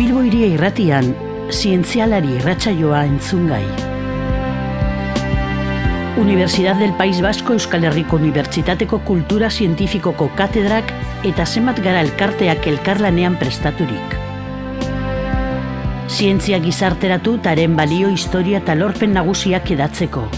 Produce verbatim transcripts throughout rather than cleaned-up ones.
Bilbo Hiria Irratian, zientzialari irratsaioa entzungai. Universidad del País Vasco Euskal Herriko Unibertsitateko Kultura Zientifikoko katedrak eta zenbat gara elkarteak elkarlanean prestaturik. Zientzia gizarteratu taren balio, historia eta lorpen nagusiak edatzeko.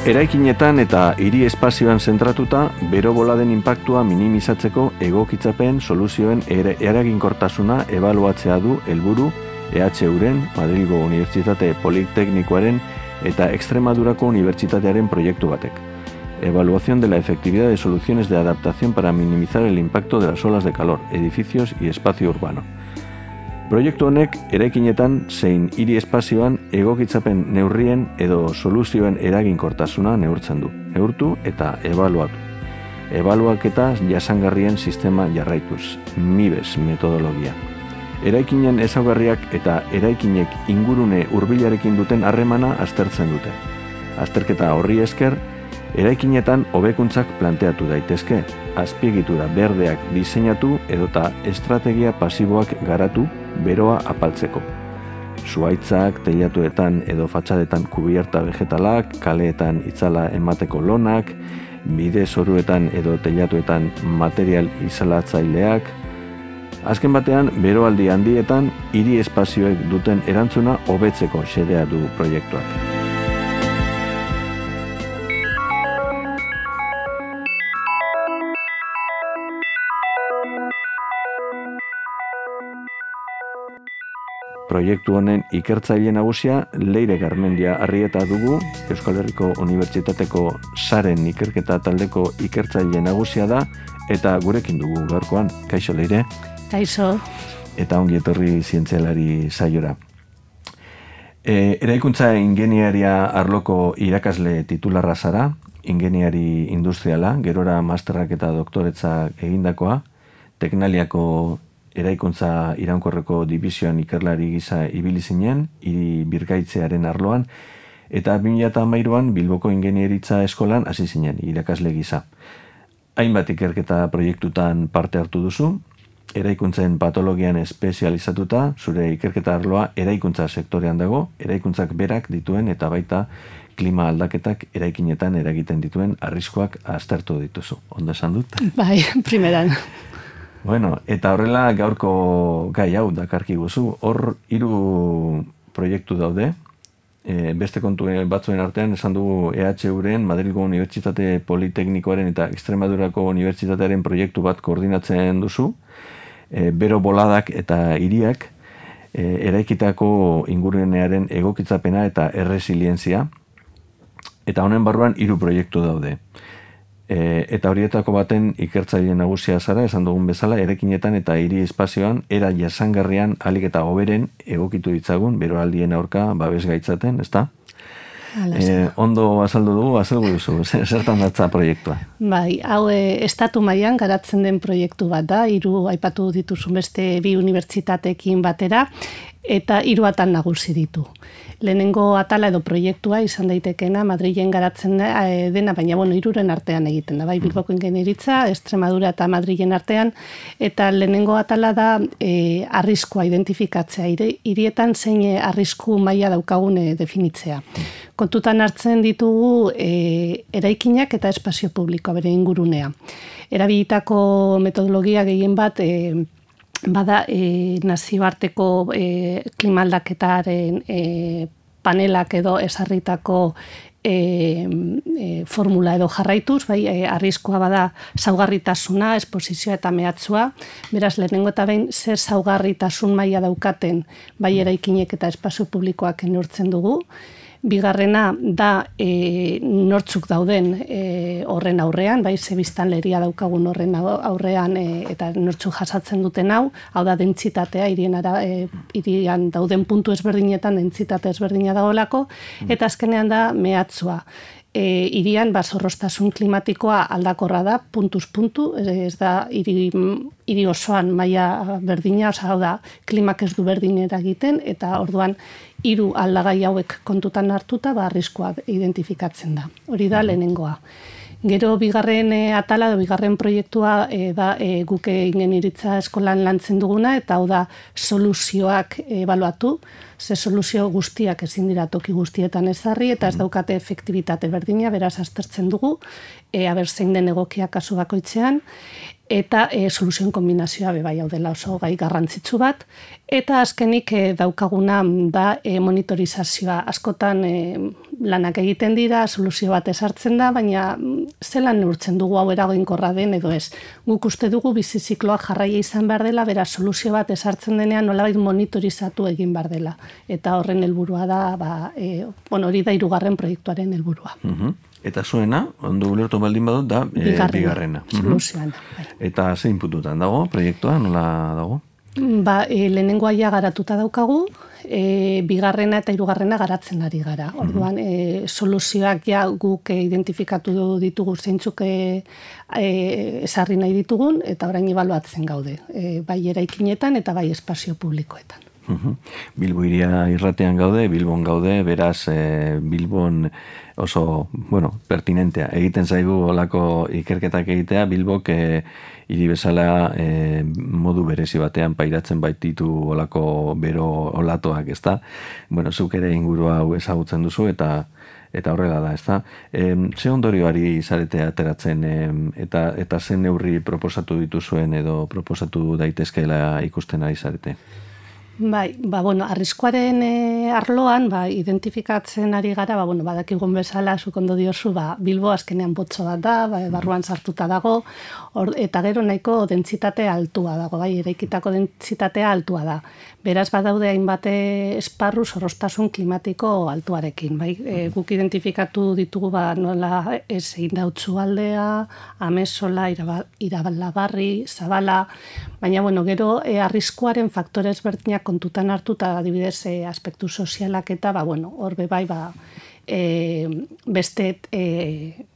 Eraikinetan eta hiri espazioan zentratuta, bero boladen inpaktua minimizatzeko egokitzapen soluzioen er- eraginkortasuna ebaluatzea du helburu E H Uren, Madrilgo Unibertsitate Politeknikoaren eta Extremadurako Unibertsitatearen proiektu batek. Evaluación de la efectividad de soluciones de adaptación para minimizar el impacto de las olas de calor, edificios y espacio urbano. Proiektu honek eraikinetan zein hiri espazioan egokitzapen neurrien edo soluzioen eraginkortasuna neurtzen du, neurtu eta ebaluatu. Ebaluaketa jasangarrien sistema jarraituz, MIBES metodologia. Eraikinen ezaugarriak eta eraikinek ingurune hurbilarekin duten harremana aztertzen dute. Azterketa horri esker, eraikinetan hobekuntzak planteatu daitezke, azpiegitura berdeak diseinatu edota estrategia pasiboak garatu beroa apaltzeko. Zuhaitzak, teilatuetan edo fatxadetan kubierta vegetalak, kaleetan itzala emateko lonak, bide zoruetan edo teilatuetan material izalatzaileak. Azken batean, beroaldi handietan, hiri espazioek duten erantzuna hobetzeko xedea du proiektuak. Proiektu honen ikertzaile nagusia Leire Garmendia Arrieta dugu, Euskal Herriko Unibertsitateko Saren ikerketa taldeko ikertzaile nagusia da, eta gurekin dugu gaurkoan. Kaixo, Leire? Kaixo. Eta ongi etorri zientzialari saiora. E, eraikuntza ingeniaria arloko irakasle titularra zara, ingeniari industriala, gerora masterrak eta doktoretzak egindakoa, Teknaliako eraikuntza iraunkorreko divisioan ikerlari gisa ibili zinen, hiri birgaitzearen arloan, eta bi mila hamairuan Bilboko Ingeniaritza Eskolan hasi zinen irakasle gisa. Hainbat ikerketa proiektutan parte hartu duzu, eraikuntzen patologian espezializatuta, zure ikerketa arloa eraikuntza sektorean dago, eraikuntzak berak dituen eta baita klima aldaketak eraikinetan eragiten dituen arriskuak aztertu dituzu. Ondo esan dut? Bai, primeran. Bueno, eta horrela gaurko gai hau dakarki guzu. Hor hiru proiektu daude. E, beste kontu batzuen artean esan dugu E H Uren, Madrilgo Unibertsitate Politeknikoaren eta Extremadurako Unibertsitatearen proiektu bat koordinatzen duzu. E, bero boladak eta hiriak, e, eraikitako ingurunearen egokitzapena eta erresilientzia. Eta honen barruan hiru proiektu daude. E, eta horietako baten ikertzaile nagusia zara, esan dugun bezala, eraikinetan eta hiri espazioan era jasangarrian ahalik eta hoberen egokitu ditzagun, beroaldien aurka babes gaitzaten, ezta? E, ondo azaldu dugu, azaldu duzu, zertan datza proiektua? Bai, hau e, estatu mailan garatzen den proiektu bat da, hiru aipatu dituzun beste bi unibertsitateekin batera, eta hiru atal nagusi ditu. Lehenengo atala edo proiektua izan daitekena Madrilen garatzen dena, baina bueno, hiruren artean egiten da, bai, Bilboko Ingeniaritza, Extremadura eta Madrilen artean, eta lehenengo atala da e, arriskua identifikatzea, hirietan zein arrisku maila daukagune definitzea. Kontutan hartzen ditugu e, eraikinak eta espazio publikoa bere ingurunea. Erabilitako metodologia gehien bat e, bada e, nazioarteko e, klimaldaketaren e, panelak edo esarritako e, e, formula edo jarraituz, bai, e, arriskua bada zaugarritasuna, esposizioa eta mehatzua, beraz lehenengo eta behin zer zaugarritasun maila daukaten bai eraikinek eta espazio publikoak neurtzen dugu. Bigarrena da e, nortzuk dauden e, horren aurrean, bai, ze biztanleria daukagun horren aurrean e, eta nortzuk jasatzen duten hau, hau da dentsitatea, hirien ara, e, hirian dauden puntu ezberdinetan dentsitate ezberdina dagoelako, eta azkenean da mehatzua. E, irian bazorrostasun klimatikoa aldakorra da, puntuz puntu, ez da hiri, hiri osoan maila berdina, oza, hau da, klimak ez du berdinera egiten, eta orduan hiru aldagai hauek kontutan hartuta, ba, arriskua identifikatzen da. Hori da lehenengoa. Gero bigarren e, atala, edo bigarren proiektua e, da e, guk ingeniaritza eskolan lantzen duguna, eta hau da soluzioak ebaluatu, ze soluzio guztiak ezin dira toki guztietan ezarri, eta ez daukate efektibitate berdina, beraz aztertzen dugu, e, aber zein den egokia kasu bakoitzean, eta e, soluzioen kombinazioa bebai hau dela oso gai garrantzitsu bat, eta azkenik e, daukaguna da e, monitorizazioa. Askotan e, lanak egiten dira, soluzio bat esartzen da, baina zelan neurtzen dugu hau eraginkorra den edo ez. Guk uste dugu bizizikloa jarraia izan behar dela, beraz soluzio bat esartzen denean nolabait monitorizatu egin behar dela. Eta horren helburua da, ba, e, bueno, hori da hirugarren proiektuaren helburua. Uh-huh. Eta zuena, ondo ulertu baldin badut, da e, bigarrena. bigarrena. Soluzioan. Bai. Eta zein puntutan dago, proiektua, nola dago? Ba, e, lehenengoa ja garatuta daukagu, e, bigarrena eta hirugarrena garatzen ari gara. Orduan, e, soluzioak ja guk e, identifikatu ditugu zeintzuk e, e, esarri nahi ditugun, eta orain ebaluatzen gaude, e, bai eraikinetan eta bai espazio publikoetan. Uhum. Bilbo iria irratean gaude, Bilbon gaude, beraz e, Bilbon oso, bueno, pertinentea. Egiten zaigu olako ikerketak egitea, Bilbok e, hiri bezala e, modu berezi batean pairatzen baititu olako bero olatoak, ezta? Bueno, zuk ere ingurua hau ezagutzen duzu eta eta horrela da, ezta? E, ze ondorioari zarete ateratzen e, eta eta zen neurri proposatu dituzuen edo proposatu daitezkeela ikusten ari zarete? Bai, ba, bueno, arriskuaren e, arloan, ba, identifikatzen ari gara, ba, bueno, badakigun bezala, zuk ondo diozu, ba, Bilbo azkenean botxo bat da, ba, barruan sartuta dago, or, eta gero nahiko dentsitate altua dago, bai, eraikitako dentsitatea altua da. Beraz, badaude hainbat esparru zorroztasun klimatiko altuarekin, bai, e, guk identifikatu ditugu, ba, nola ez egin dautzu aldea, Amezola, Irabalabarri, Zabala, baina, bueno, gero e, arriskuaren faktore ezberdinak kontutan hartuta adibidez e, aspektu sozialak eta ba bueno, hor be bai ba e, beste e,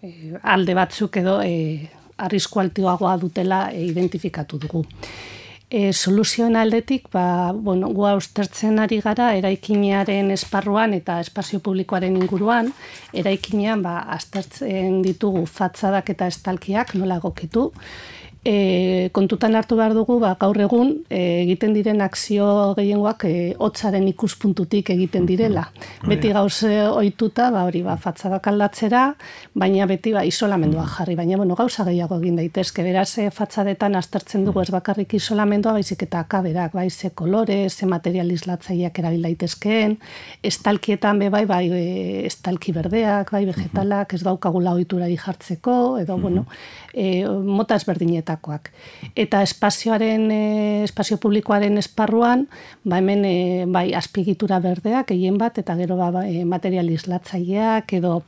e, alde batzuk edo e, arrisku altuagoa dutela e, identifikatu dugu. E, soluzioen aldetik ba bueno, goa ustertzen ari gara eraikinaren esparruan eta espazio publikoaren inguruan, eraikinean ba aztertzen ditugu fatzadak eta estalkiak nola egokitu. E, kontutan hartu behar dugu, ba, gaur egun e, egiten diren akzio gehiengoak e, hotzaren ikuspuntutik egiten direla. Mm-hmm. Beti gauze ohituta, ba, hori, ba, fatzadak aldatzera, baina beti ba, isolamendua jarri. Baina, bueno, gauza gehiago egin daitezke. Beraz, e, fatzadetan aztertzen dugu ez bakarrik isolamendua, baizik eta akaberak, bai, ze kolore, ze material islatzaileak erabil daitezkeen, estalkietan be, bai, bai, e, estalki berdeak, bai, vegetalak, ez daukagula ohiturari jartzeko, edo, mm-hmm. bueno, e, mota ezberdinetan. Eta espazioaren, espazio publikoaren esparruan, ba hemen bai azpiegitura berdeak egin bat, eta gero ba, material islatzaileak edo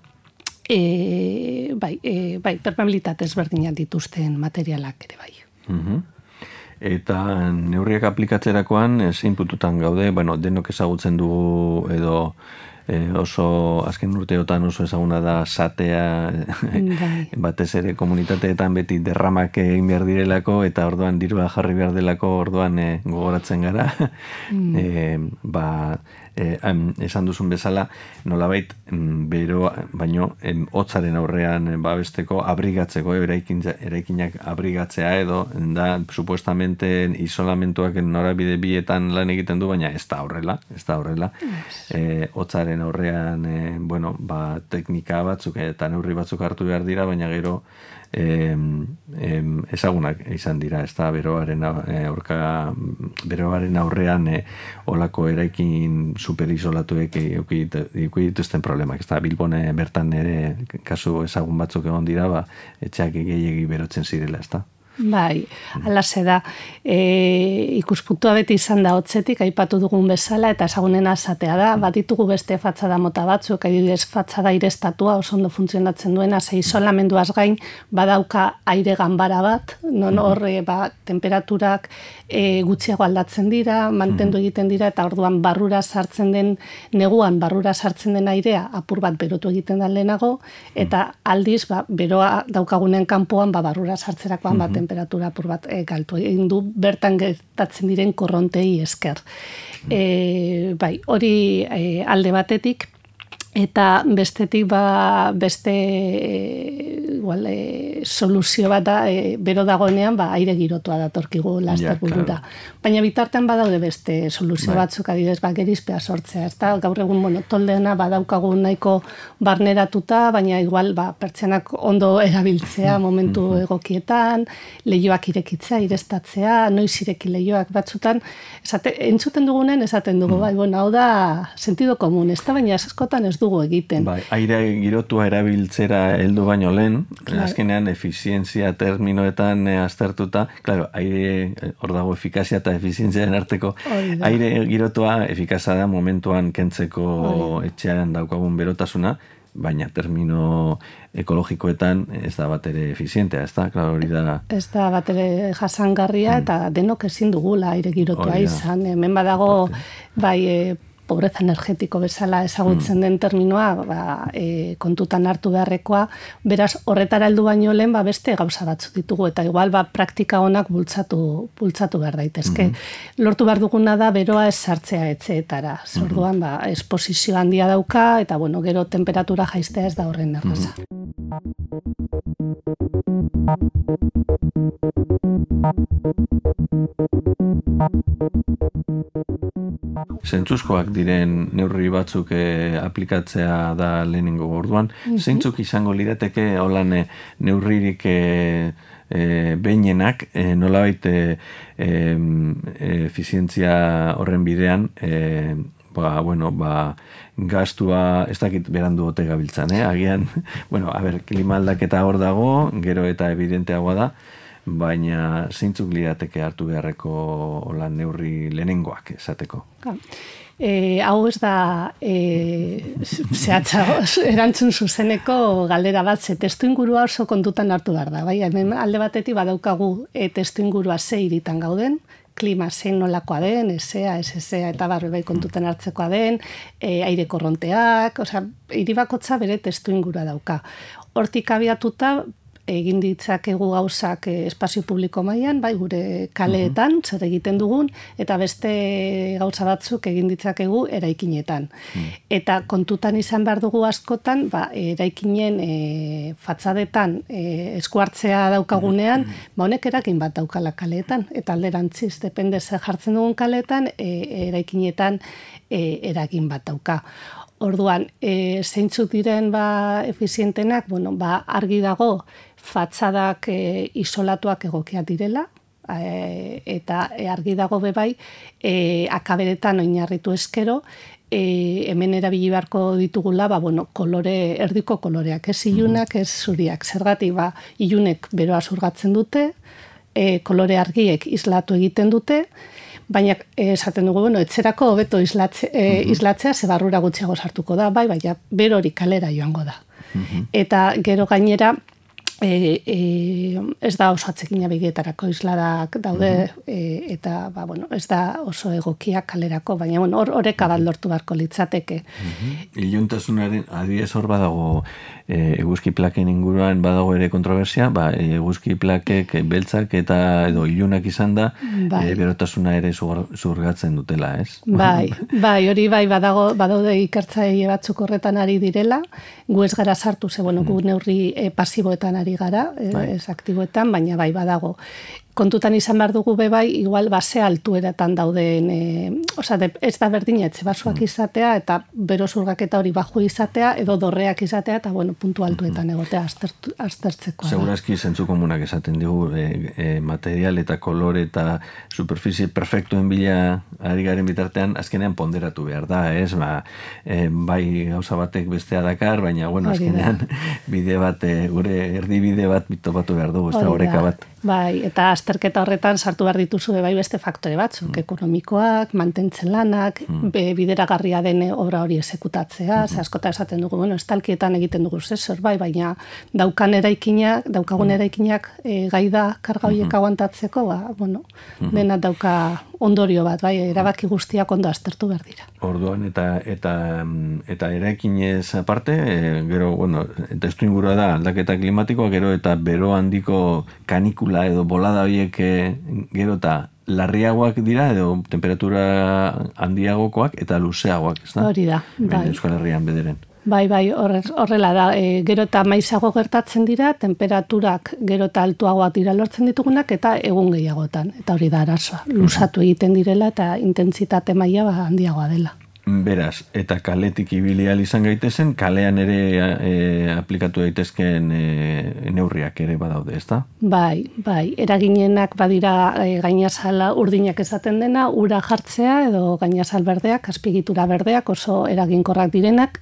e, bai, e, bai, permeabilitate ezberdinak dituzten materialak ere bai. Mm-hmm. Eta neurriak aplikatzerakoan zein puntutan gaude, bueno, denok ezagutzen dugu edo E, oso azken urteotan oso ezaguna da satea batez ere komunitateetan beti derramak egin behar direlako eta orduan dirua jarri behar delako orduan e, gogoratzen gara mm. e, ba e, em, esan duzun bezala nolabait bero baino em, hotzaren aurrean babesteko abrigatzeko eraikin, eraikinak abrigatzea edo da supuestamente isolamentuak norabide bietan lan egiten du baina ez da horrela ez da horrela yes. e, hotzaren aurrean e, bueno, ba, teknika batzuk eta neurri batzuk hartu behar dira, baina gero em, em, ezagunak izan dira, ez da beroaren aurka, beroaren aurrean e, olako eraikin superisolatuek eduki dituzten problemak, ez da Bilbone bertan ere kasu ezagun batzuk egon dira, ba, etxeak gehiegi berotzen zirela, ez da. Bai, alase da. E, ikuspuntua beti izan da hotzetik, aipatu dugun bezala, eta ezagunena esatea da. Bat ditugu beste fatzada mota batzuk, adibidez fatzada aireztatua, oso ondo funtzionatzen duena, ze isolamenduaz gain, badauka aire ganbara bat, non hor ba, temperaturak e, gutxiago aldatzen dira, mantendu egiten dira, eta orduan barrura sartzen den, neguan barrura sartzen den airea, apur bat berotu egiten da lehenago, eta aldiz, ba, beroa daukagunen kanpoan, ba, barrura sartzerakoan bat temperatura apur bat e, galtu egin du bertan gertatzen diren korrontei esker. E, bai, hori e, alde batetik, Eta bestetik ba, beste igual, e, soluzio bat da, e, bero dagoenean ba, aire girotua datorkigu lasterburura. Ja, baina bitartean badaude beste soluzio bai. Batzuk adidez ba, gerizpea sortzea. Ez da, gaur egun bueno, toldeena badaukagu nahiko barneratuta, baina igual ba, pertsenak ondo erabiltzea momentu egokietan, lehioak irekitzea, irestatzea, noiz ireki lehioak batzutan. Esate, entzuten dugunen esaten dugu, bai, bueno, hau da sentido komun, ez da, baina askotan ez dugu egiten. Bai, aire girotua erabiltzera heldu baino lehen, claro. Azkenean efizientzia terminoetan eh, aztertuta, claro, aire, hor dago efikazia eta efizientziaren arteko, aire girotua efikaza da momentuan kentzeko Oida. Etxean daukagun berotasuna, baina termino ekologikoetan ez da bat ere efizientea, ez da, claro, hori da... Ez da bat ere jasangarria mm. eta denok ezin dugula aire girotua Oida. Izan. Hemen badago, bai, e, pobreza energetiko bezala ezagutzen mm. den terminoa, ba, e, kontutan hartu beharrekoa, beraz horretara heldu baino lehen ba, beste gauza batzu ditugu, eta igual ba, praktika honak bultzatu, bultzatu behar daitezke. Mm-hmm. Lortu behar duguna da beroa ez sartzea etxeetara. Zorduan, mm-hmm. ba, esposizio handia dauka, eta bueno, gero temperatura jaistea ez da horren erraza. Zentzuzkoak diren neurri batzuk eh, aplikatzea da lehenengo orduan. Mm-hmm. Zeintzuk izango lirateke holan eh, neurririk eh, eh, behinenak, eh, nolabait eh, eh, efizientzia horren bidean, eh, ba, bueno, ba, gastua, ez dakit berandu ote gabiltzan, eh? Agian, bueno, a ber, klima aldaketa hor dago, gero eta evidenteagoa da, baina zeintzuk lirateke hartu beharreko holan neurri lehenengoak esateko. E, hau ez da e, zehatza erantzun zuzeneko galdera bat, ze testu ingurua oso kontutan hartu behar da. Bai? Hemen alde batetik badaukagu e, testu ingurua ze hiritan gauden, klima zein nolakoa den, esea, esesea eta barbe bai kontutan hartzekoa den, e, aire korronteak, osea, hiri bakotza bere testu ingurua dauka. Hortik abiatuta, egin ditzakegu gauzak espazio publiko mailan, bai gure kaleetan, zer egiten dugun, eta beste gauza batzuk egin ditzakegu eraikinetan. Mm. Eta kontutan izan behar dugu askotan, ba, eraikinen e, fatzadetan e, eskuartzea daukagunean, mm. ba, honek eragin bat daukala kaleetan, eta alderantziz, depende zer jartzen dugun kaleetan, e, eraikinetan e, eragin bat dauka. Orduan, e, zeintzuk diren ba, efizientenak, bueno, ba, argi dago fatzadak e, isolatuak egokiak direla, e, eta argi dago bebai, e, akaberetan oinarritu eskero, e, hemen erabili beharko ditugula, ba, bueno, kolore, erdiko koloreak, ez ilunak, ez zuriak. Zergatik, ba, ilunek beroa zurgatzen dute, e, kolore argiek islatu egiten dute, baina esaten dugu, bueno, etzerako hobeto islatze, e, islatzea ze barrura gutxiago sartuko da, bai, baina berori kalera joango da. Uh-huh. Eta gero gainera, e, e, ez da oso atzekina begietarako isladak daude, uh-huh. e, eta ba, bueno, ez da oso egokia kalerako, baina bueno, hor oreka bat lortu beharko litzateke. Uh-huh. Iluntasunaren adibidez hor badago e, eguzki plaken inguruan badago ere kontroversia, ba, eguzki plakek beltzak eta edo ilunak izan da, bai. e, berotasuna ere zurgatzen dutela, ez? Bai, bai, hori bai badago, badaude ikertzaile batzuk horretan ari direla, gu ez gara sartu, ze, bueno, gu neurri e, pasiboetan ari gara, e, bai. Ez aktiboetan, baina bai badago. Kontutan izan behar dugu bebai, igual base altueratan dauden, e, oza, de, ez da berdina etxe basuak izatea, eta bero zurgaketa hori baju izatea, edo dorreak izatea, eta bueno, puntu altuetan egotea aztertu, aztertzekoa. Segurazki zentzu komunak esaten digu, e, e, material eta kolore eta superficie perfektuen bila ari garen bitartean, azkenean ponderatu behar da, ez? Ba, e, bai gauza batek bestea dakar, baina bueno, azkenean bide bat, e, gure erdibide bat topatu behar dugu, ez da oreka bat. Bai, eta azterketa horretan sartu behar dituzu bai beste faktore batzuk, mm. ekonomikoak, mantentzen lanak, mm. be, bideragarria den obra hori esekutatzea, mm. ze askota esaten dugu, bueno, estalkietan egiten dugu zezor, bai, baina daukan eraikinak, daukagun eraikinak e, gai da karga horiek aguantatzeko, ba, bueno, mm. dena dauka ondorio bat, bai, erabaki guztiak ondo aztertu behar dira. Orduan, eta eta eta eraikinez aparte, e, gero, bueno, testu ingurua da aldaketa klimatikoa, gero eta bero handiko kanikula edo bolada horiek gero eta larriagoak dira edo temperatura handiagokoak eta luzeagoak, ez da? Hori da, bai. Euskal Herrian bederen. Bai, bai, horrela da. E, gero eta maizago gertatzen dira, temperaturak gero eta altuagoak dira lortzen ditugunak, eta egun gehiagotan. Eta hori da arazoa. Luzatu egiten direla eta intentsitate maila ba, handiagoa dela. Beraz, eta kaletik ibili ahal izan gaitezen, kalean ere e, aplikatu daitezkeen e, neurriak ere badaude, ezta? Bai, bai, eraginenak badira e, gainazala urdinak esaten dena, ura jartzea edo gainazal berdeak, azpigitura berdeak oso eraginkorrak direnak,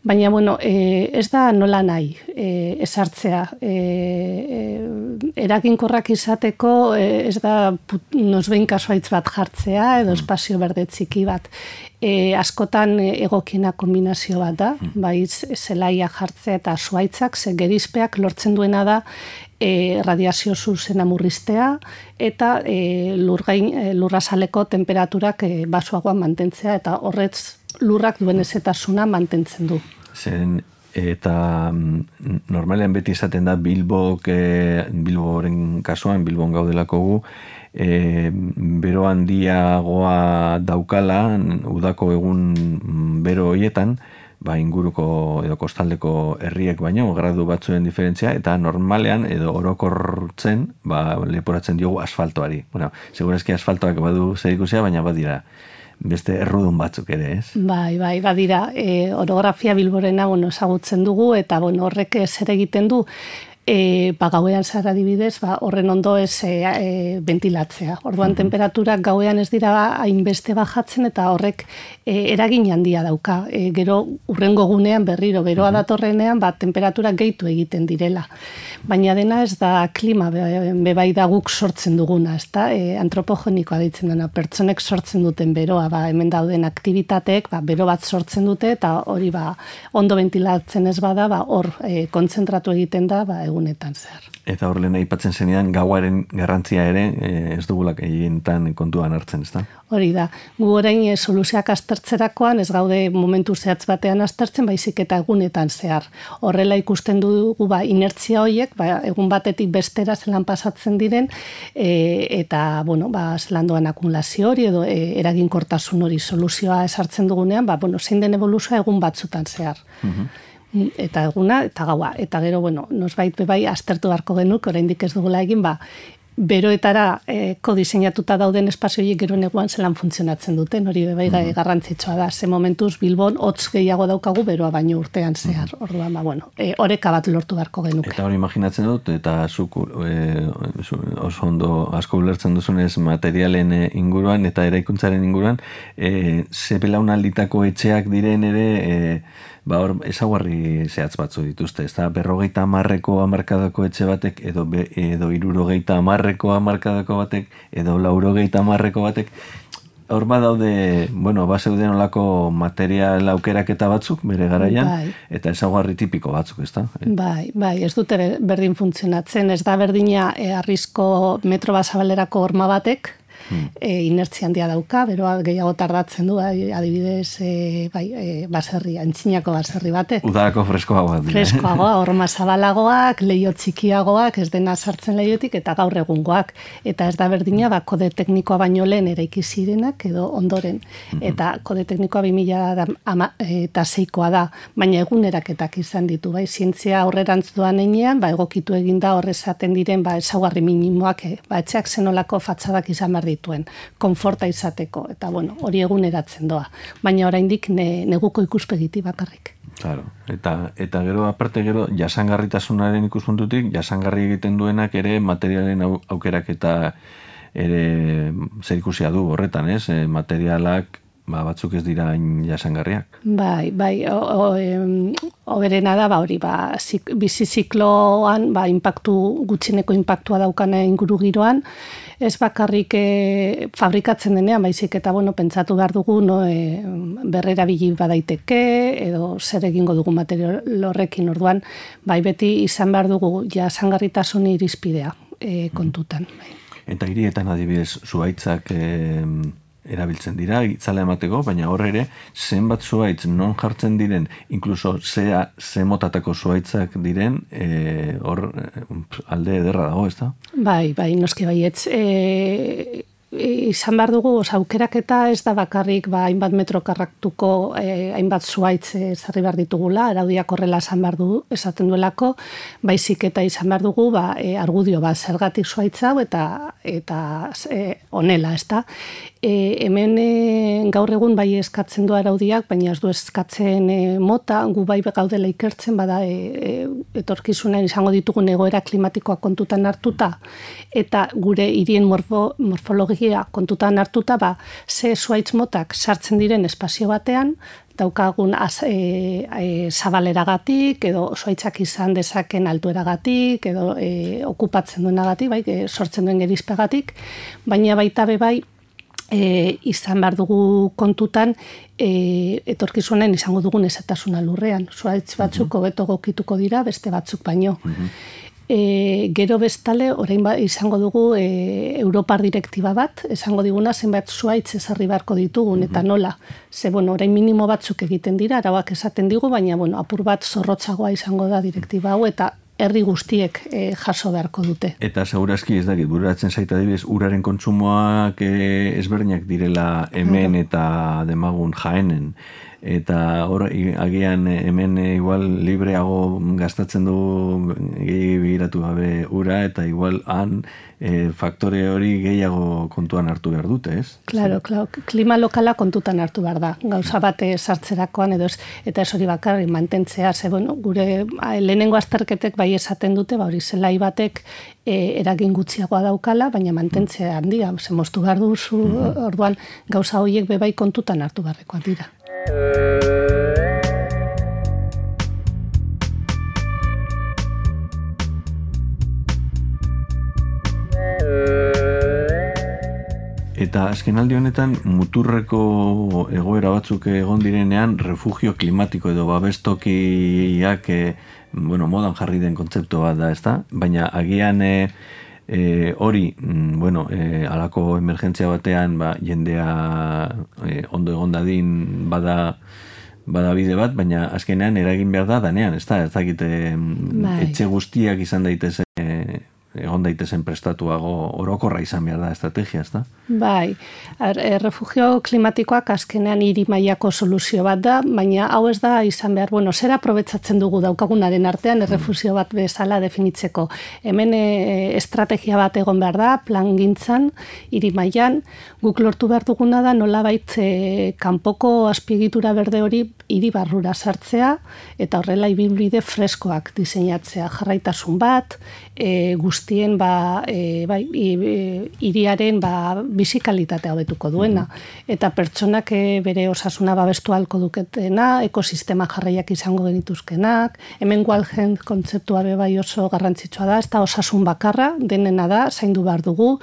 baina bueno, e, ez da nola nahi e, esartzea. E, e, eraginkorrak izateko e, ez da nosbehin kasuaitz bat jartzea edo espazio berde txiki bat. E, askotan egokiena kombinazio bat da, bai zelaia jartzea eta zuaitzak, ze gerizpeak lortzen duena da e, radiazio zuzena murriztea eta e, lurgain, e, lurrazaleko temperaturak e, basuagoan mantentzea eta horretz lurrak duen ezetasuna mantentzen du. Zen, eta normalean beti izaten da Bilbok, e, Bilboren kasuan, Bilbon gaudelako gu, E, bero handiagoa daukala, udako egun bero hoietan, ba, inguruko edo kostaldeko herriek baino, gradu batzuen diferentzia, eta normalean edo orokortzen, ba, leporatzen diogu asfaltoari. Bueno, segurazki asfaltoak badu zerikusia, baina badira beste errudun batzuk ere, ez? Bai, bai, badira. E, orografia Bilborena, bueno, ezagutzen dugu, eta bueno, horrek zer egiten du, E, ba, gauean zara adibidez, ba, horren ondo ez e, e, ventilatzea. Orduan, mm-hmm. temperaturak gauean ez dira hainbeste bajatzen eta horrek e, eragin handia dauka. E, gero urrengo gunean berriro, beroa mm-hmm. datorrenean, ba, temperaturak gehitu egiten direla. Baina dena ez da klima, bebai da guk sortzen duguna, ez da? E, antropogenikoa ditzen dena, pertsonek sortzen duten beroa, ba, hemen dauden aktibitateek, ba, bero bat sortzen dute eta hori ba, ondo ventilatzen ez bada, ba, hor e, kontzentratu egiten da, ba, egunetan zehar. Eta hor lehen aipatzen zenean gauaren garrantzia ere ez dugulak egientan kontuan hartzen, ez da? Hori da. Gu orain e, soluzioak aztertzerakoan ez gaude momentu zehatz batean aztertzen, baizik eta egunetan zehar. Horrela ikusten dugu ba, inertzia horiek, ba, egun batetik bestera zelan pasatzen diren, e, eta bueno, ba, zelan doan akumulazio hori edo e, eraginkortasun hori soluzioa esartzen dugunean, ba, bueno, zein den evoluzioa egun batzutan zehar. Mm-hmm. Eta eguna, eta gaua. Eta gero, bueno, nosbait bebai aztertu beharko genuk, oraindik ez dugula egin, ba, beroetara eh, kodiseinatuta dauden espazioiek gero neguan zelan funtzionatzen duten, hori bebai mm-hmm. garrantzitsua da. Ze momentuz Bilbon hotz gehiago daukagu beroa baino urtean zehar. Mm-hmm. Orduan, ba, bueno, e, oreka bat lortu beharko genuke. Eta hori imaginatzen dut, eta zuk e, oso ondo asko ulertzen duzunez materialen inguruan eta eraikuntzaren inguruan, e, ze belaunalditako etxeak diren ere, e, ba hor, ezaguarri zehatz batzu dituzte, ez da, berrogeita hamarreko hamarkadako etxe batek, edo, be, edo irurogeita hamarreko hamarkadako batek, edo laurogeita hamarreko batek, hor badaude, bueno, bazeuden olako material aukeraketa batzuk, bere garaian, bai. Eta ezaguarri tipiko batzuk, ez da? Bai, bai, ez dute berdin funtzionatzen, ez da berdina e, arrizko metro basabalerako horma batek, Hmm. E, inertzia handia dauka, beroa gehiago tardatzen du, adibidez, e, bai, e, baserri, antzinako baserri batek. Udarako freskoagoak. Freskoagoa, horma zabalagoak, leio txikiagoak, ez dena sartzen leiotik, eta gaur egungoak. Eta ez da berdina, ba, kode teknikoa baino lehen eraiki zirenak, edo ondoren. Hmm. Eta kode teknikoa bi mila eta seikoa da, baina eguneraketak izan ditu, bai, zientzia aurrerantz doan enean, ba, egokitu eginda horrezaten diren, ba, ezaugarri minimoak, e, ba, etxeak zenolako fatzadak izan behar dituen, konforta izateko, eta bueno, hori eguneratzen doa. Baina oraindik ne, neguko ikuspegiti bakarrik. Claro. Eta, eta gero, aparte gero, jasangarritasunaren ikuspuntutik, jasangarri egiten duenak ere materialen au, aukerak eta ere zerikusia du horretan, ez? E, materialak ba, batzuk ez dira jasangarriak. Bai, bai, oberena da, ba, hori, ba, zik, bizi zikloan, ba, impactu, gutxineko impactua daukana inguru giroan, ez bakarrik e, fabrikatzen denean, baizik eta, bueno, pentsatu behar dugu, no, e, berrera bili badaiteke, edo zer egingo dugu material horrekin, orduan, bai, beti izan behar dugu jasangarritasun irizpidea e, kontutan. Bai. Eta hirietan adibidez, zuhaitzak e, erabiltzen dira, itzala emateko, baina hor ere, zenbat zuhaitz non jartzen diren, inkluso zea, ze motatako zuhaitzak diren, hor e, alde ederra dago, ez da? Bai, bai, noski baietz. E, izan behar dugu, oza, aukeraketa ez da bakarrik, ba, hainbat metro karraktuko, eh, hainbat zuaitz ezarri behar ditugula, araudiak horrela esan behar du, esaten duelako, baizik eta izan behar dugu, ba, e, argudio, ba, zergatik zuaitz hau, eta, eta e, onela, ez da. E, hemen e, gaur egun bai eskatzen du araudiak, baina ez du eskatzen e, mota, gu bai gaudela ikertzen, bada e, e, etorkizunen izango ditugun egoera klimatikoa kontutan hartuta, eta gure hirien morfo, morfologia kontutan hartuta, ba, ze zuaitz motak sartzen diren espazio batean, daukagun az, e, e, zabaleragatik, edo zuaitzak izan dezaken altueragatik, edo e, okupatzen duenagatik, bai, e, sortzen duen gerizpegatik, baina baita be bai, E, izan behar dugu kontutan e, etorkizunen izango dugun ezatasuna lurrean. Zuaitz batzuk hobeto gokituko dira, beste batzuk baino. Uh-huh. E, gero bestale, orain ba, izango dugu e, Europar direktiba bat, esango diguna zenbait zuaitz ezarri beharko ditugun, uh-huh. eta nola. Ze, bueno, orain minimo batzuk egiten dira, arauak esaten digu, baina, bueno, apur bat zorrotzagoa izango da direktiba hau, eta herri guztiek e, jaso beharko dute. Eta segurazki ez dakit, bururatzen zaita adibidez, uraren kontsumoak e, ezberdinak direla hemen eta demagun Jaenen. Eta hor, agian hemen igual libreago gastatzen du gehi begiratu gabe ura, eta igual han e, faktore hori gehiago kontuan hartu behar dute, ez? Claro, claro. Klima lokala kontutan hartu behar da. Gauza bate sartzerakoan edo ez, eta ez hori bakarrik mantentzea, ze bueno, gure lehenengo azterketek bai esaten dute, ba hori zelai batek e, eragin gutxiagoa daukala, baina mantentzea handia, ze moztu behar duzu, mm-hmm. orduan gauza horiek bebai kontutan hartu beharrekoak dira. Eta azken aldi honetan muturreko egoera batzuk egon direnean refugio klimatiko edo babestokiak e, bueno, modan jarri den kontzeptu bat da, ezta? Baina agian e, e, hori, bueno, e, alako emergentzia batean ba, jendea e, ondo egon dadin bada bada bide bat, baina azkenean eragin behar da danean, ezta? Ez dakit bai. Etxe guztiak izan daitezen egon daitezen prestatuago orokorra izan behar da estrategia, ezta? Bai, errefugio klimatikoak azkenean hiri mailako soluzio bat da, baina hau ez da izan behar, bueno, zer aprobetsatzen dugu daukagunaren artean errefugio bat bezala definitzeko. Hemen e, estrategia bat egon behar da, plan gintzan, hiri mailan, guk lortu behar duguna da nolabait e, kanpoko azpiegitura berde hori hiri barrura sartzea, eta horrela ibilbide freskoak diseinatzea, jarraitasun bat, e, guztien ba, e, bai, hiriaren ba, bizikalitatea hobetuko duena. Eta pertsonak e, bere osasuna babestu halko duketena, ekosistema jarraiak izango genituzkenak, hemen Walden kontzeptua be bai oso garrantzitsua da, ez da osasun bakarra, denena da, zaindu behar dugu,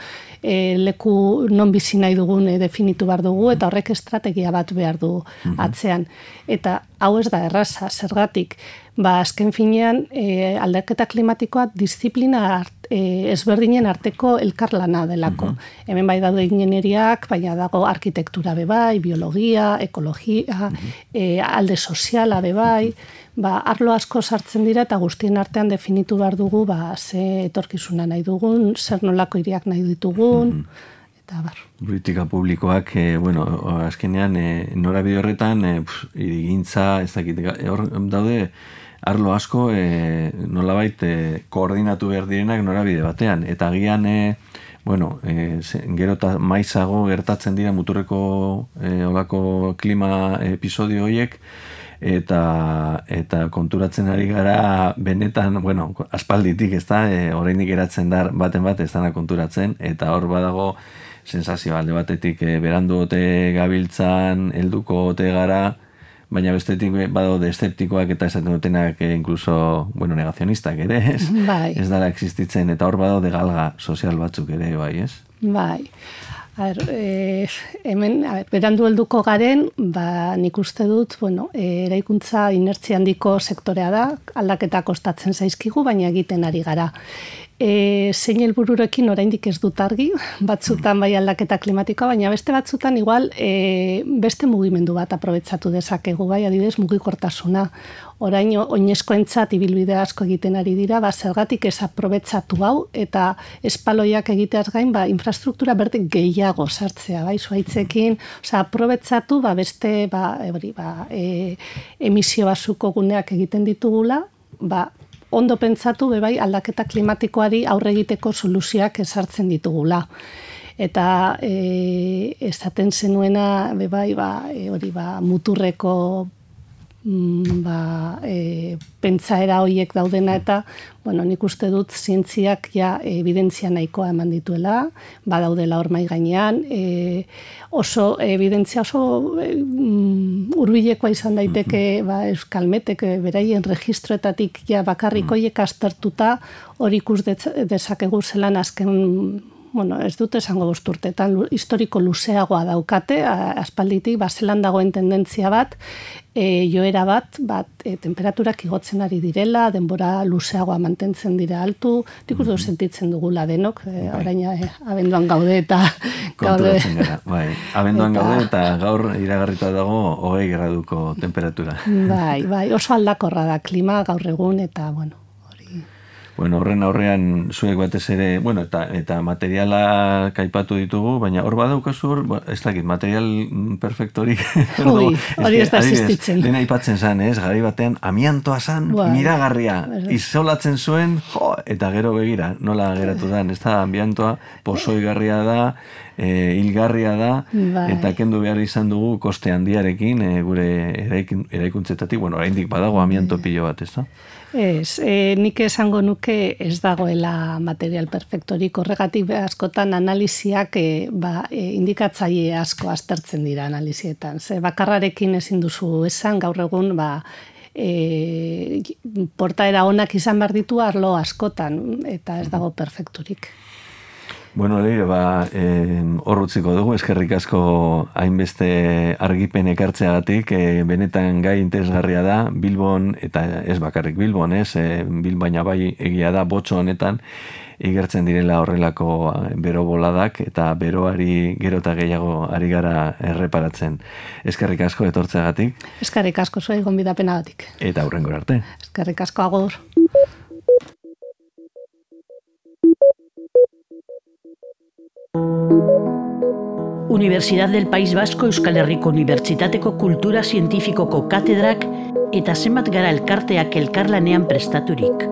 e, leku non bizi nahi dugun e, definitu behar dugu, eta horrek estrategia bat behar du atzean. Eta hau ez da erraza, zergatik, ba, azken finean e, aldaketa klimatikoa disiplina art, e, ezberdinen arteko elkarlana delako. Uh-huh. Hemen bai daude ingeneriak, baina dago arkitektura bebai, biologia, ekologia, uh-huh. e, alde soziala bebai, ba, arlo asko sartzen dira eta guztien artean definitu behar dugu ba, ze etorkizuna nahi dugun, zer nolako hiriak nahi ditugun, uh-huh. eta bar. Politika publikoak, e, bueno, azkenean, e, norabide horretan, e, hirigintza, ez dakit, hor daude, arlo asko e, nolabait e, koordinatu behar direnak norabide batean. Eta agian, e, bueno, e, gero eta maizago gertatzen dira muturreko e, olako klima episodio horiek, eta eta konturatzen ari gara benetan, bueno, aspalditik, ez da, e, oraindik geratzen da baten bat ez dana konturatzen, eta hor badago sensazio alde batetik e, berandu ote gabiltzan, helduko ote gara, baina bestetik badaude eszeptikoak eta esaten dutenak e, incluso, bueno, negazionistak ere, ez? Bai. Ez dara existitzen, eta hor badaude galga sozial batzuk ere, bai, ez? Bai. A ber, e, hemen, a ber, berandu helduko garen, ba, nik uste dut, bueno, e, eraikuntza inertzia handiko sektorea da, aldaketa kostatzen zaizkigu, baina egiten ari gara. E, zein helbururekin oraindik ez dut argi, batzutan bai aldaketa klimatikoa, baina beste batzutan igual e, beste mugimendu bat aprobetsatu dezakegu, bai adibidez mugikortasuna. Orain oinezkoentzat ibilbide asko egiten ari dira, ba, zergatik ez aprobetsatu hau, eta espaloiak egiteaz gain, ba, infrastruktura berde gehiago sartzea, bai, zuaitzekin, oza, aprobetsatu, ba, beste, ba, ebri, ba, e, emisio basuko guneak egiten ditugula, ba, ondo pentsatu bebai aldaketa klimatikoari aurre egiteko soluzioak ezartzen ditugula. Eta e, esaten zenuena bebai ba, e, hori ba, muturreko mm, ba, e, pentsaera horiek daudena eta bueno, nik uste dut zientziak ja evidentzia nahikoa eman dituela, badaudela hor mai gainean, e, oso evidentzia oso e, hurbilekoa izan daiteke ba, Euskalmetek beraien registroetatik ja bakarrik horiek aztertuta hori ikus dezakegu zelan azken, bueno, ez dut esango bost urteetan, historiko luzeagoa daukate, aspalditik ba, zelan dagoen tendentzia bat, e, joera bat, bat e, temperaturak igotzen ari direla, denbora luzeagoa mantentzen dira altu, nik uste sentitzen dugula denok, e, orain e, abenduan gaude eta konturatzen gara, bai, abenduan eta, gaude eta gaur iragarrita dago hogei graduko temperatura. Bai, bai, oso aldakorra da klima gaur egun eta, bueno, Bueno, horren aurrean zuek batez ere, bueno, eta, eta materiala kaipatu ditugu, baina hor badaukazu hor, ez dakit, material perfektorik. Ui, hori ez da existitzen. Dena aipatzen zen, ez, gari batean, amiantoa zan, miragarria, izolatzen zuen, jo, eta gero begira, nola geratu da, ez da, amiantoa pozoigarria da, e, hilgarria da, bai. Eta kendu behar izan dugu koste handiarekin, e, gure eraikuntzetatik, bueno, oraindik badago amianto pilo bat, ez da? Ez, e, nik esango nuke ez dagoela material perfektorik, horregatik askotan analiziak e, ba, e, indikatzaile asko aztertzen dira analizietan. Ze bakarrarekin ezin duzu esan gaur egun ba, e, portaera onak izan behar ditu arlo askotan eta ez dago perfekturik. Bueno, leire, ba, hor utziko dugu, eskerrik asko hainbeste argipen ekartzeagatik, e, benetan gai interesgarria da, Bilbon, eta ez bakarrik Bilbon, ez, e, Bilbaina bai egia da, botxo honetan, igertzen direla horrelako bero boladak, eta beroari gero eta gehiago ari gara erreparatzen. Eskerrik asko etortzeagatik. Eskerrik asko zuen gonbidapenagatik. Eta hurrengora arte. Eskerrik asko agur. Universidad del País Vasco Euskal Herriko Unibertsitateko Kultura Zientifikoko katedrak eta zenbat gara elkarteak elkarlanean prestaturik.